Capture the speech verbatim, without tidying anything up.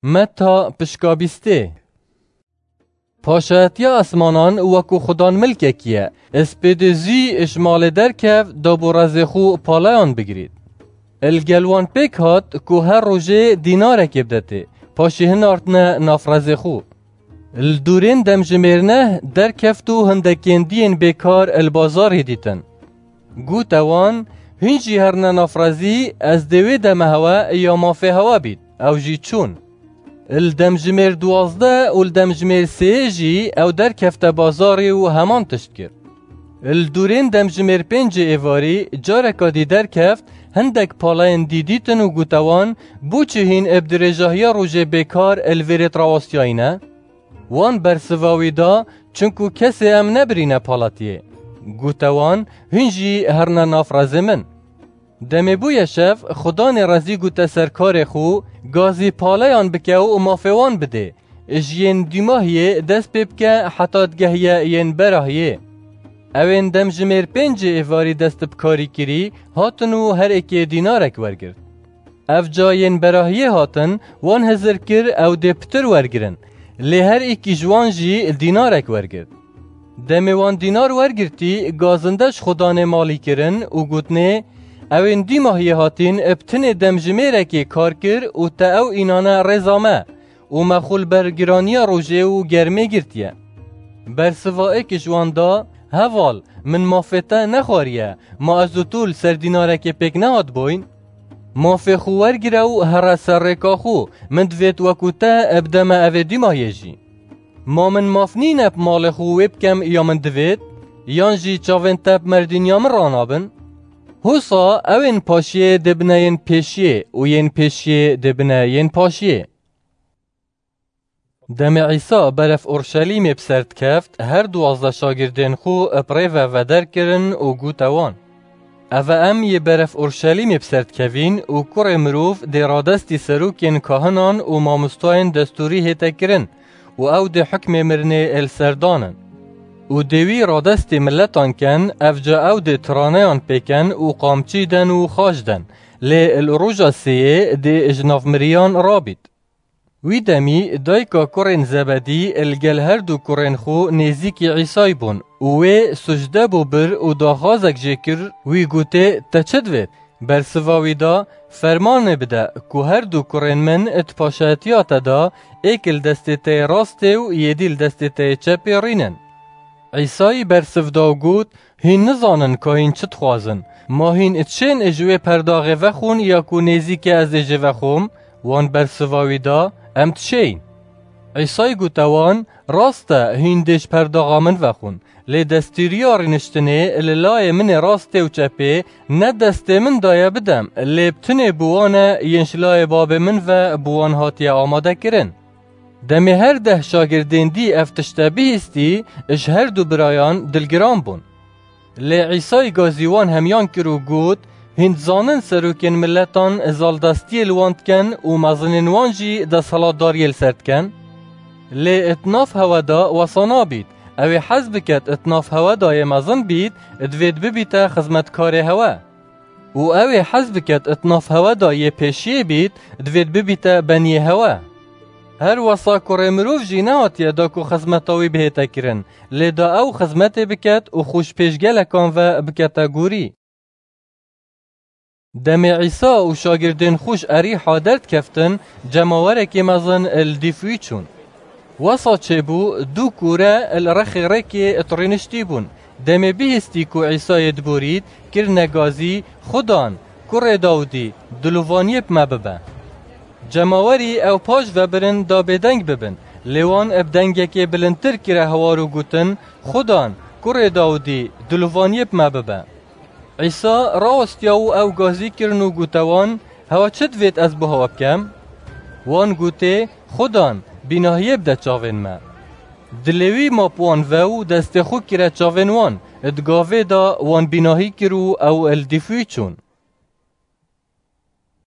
Meta pişka bîstê. Paşayetiya esmanan wekû xudan milkekî ye. Spêdê zî ji malê derkev, da bo rezê xwe paleyan bigirît. Li gel wan pêk hat ku her rojê dînarekê bidetê, paşê hinartine nav rezê xwe. Li dûrên demjimêr neh derkeft û hindekên diyên bêkar li bazarê dîtin. Gote wan, hûn jî herine nav rezî, ez dê wê deme hewe ya mafê hewe bît. Ew jî çûn. Li demjimêr duwazdeh û li demjimêr sêyê jî ew derkefte bazarê û heman tişt kir. Li dûrên demjimêr pêncê êvarî careka dî derkeft, hindek palayên dî dîtin û gote wan, bo çi hîn bi dirêjahiya rojê bêkar li vêrêt rawestiyayî ne? Wan bersiva wî da, çinku kesê em nebirîne palatiyê. Gote wan, hûn jî herine nav rezê min. Demê bûye şev, xudanê rezî gote serkarê xwe, gazî paleyan bike û mafê wan bidê. Ji yên dûmahiyê dest pê bike heta digehiye yên berahiyê. Ewên demjimêr pêncê êvarî dest bi karî kirî, hatin û her êkê dînarek wergirt. Ev ca yên berahiyê hatin, wan hizir kir ew dê pitir wergirin. Lê her êkî ji wan jî dînarek wergirt. Demê wan dînar wergirtî, gazinde ji xudanê malî kirin û gotinê, ewên dîmahiyê hatîn bi tinê demjimêrekê kar kir û te ew înane rêza me û me xwe li ber giraniya rojê û germê girtiye. Bersiva êk ji wan da, heval, min mafê te nexwariye, ma ez û tu li ser dînarekê pêk nehatibûyn? Mafê xwe wergire û here ser rêka xwe, min divêt wekû te bideme evê dîmahiyê jî. Ma min maf nîne bi malê xwe wê bikem ya min divêt? Yan jî çavên te bi merdîniya min ranabin? Hosa ewên paşiyê dê bine yên pêşiyê û yên pêşiyê dê bine yên paşiyê. Demê Îsa beref Urşelîmê bi ser dikeft, her duwazdeh şagirdên xwe bi rê ve veder kirin û gote wan, Eve em yê beref Urşelîmê bi ser dikevîn û kurê mirov dê radestî serokên kahinan û mamostayên destûrî hête kirin û ew dê hukmê mirinê li ser danin. Û dê wî radestî miletan ken, ev ca ew dê tiraneyan pêken û qamçî den û xaç den, lê li roja sêyê dê ji nav miriyan rabît. Wî demî dayika kurên Zebedî li gel her du kurên xwe nêzîkî Îsay bûn û wê sucde bû bir û daxwazek jê kir, wî gotê, Te çi divêt? Bersiva wî da, Fermanê bide ku her du kurên min di paşayetiya te de, êk li destê te yê rastê û yê dî li destê te yê çepê rînin. Îsayî bersiv da û got, Hîn nizanin ka hîn çi dixwazin. Ma hîn diçên ji wê perdaxê vexwin ya ku nêzîkê ez ê jê vexwim? Wan bersiva wî da, Em diçêyin. Îsayî gote wan, Rast e, hîn dê ji perdaxa min vexwin. Lê destûriya rîniştinê li layê min ê rastê û çepê ne destê min daye bidem, lê bi tinê bi wan e yên ji layê babê min ve bi wan hatiye amade kirin. Demê her deh şagirdên dî ev tişte bihîstî, ji her du birayan dilgiran bûn. Lê Îsayî gazî wan hemiyan kir û got, Hîn dizanin serokên miletan zaldestiyê li wan dikin û mezinên wan jî desthilatdariyê li ser dikin? Lê di nav hewe de wesa nabît. Ew ê hez biket di nav hewe de yê mezin bît, divêt bibîte xizmetkarê hewe. Û ew ê hez biket di nav hewe de yê pêşiyê bît, divêt bibîte beniyê hewe. Her wesa kurê mirov jî nehatiye da ku xizmeta wî bihête kirin, lê da ew xizmetê biket û xwe ji pêş gelekan ve bikete gorî. Demê Îsa û şagirdên xwe ji Erîha derdikeftin, cemawerekê mezin li dîf wî çûn. Wesa çêbû, du kûre li rexê rêkê di rîniştî bûn. Demê bihîstî ku Îsayê diborît, kirine gazî, Xudan, kurê Dawidî, dilovaniyê bi me bibe. Cemawerî ew paş ve birin da bêdeng bibin. Lê wan bi dengekê bilindtir kire hewar û gotin, Xudan, kurê Dawidî, dilovaniyê bi me bibe. Îsa rawestiya û ew gazî kirin û gote wan, Hewe çi divêt ez bo hewe bikem? Wan gotê, Xudan, bînahiyê bide çavên me. Dilê wî ma bi wan ve û destê xwe kire çavên wan. Di gavê de wan bînahî kir û ew li dîf wî çûn.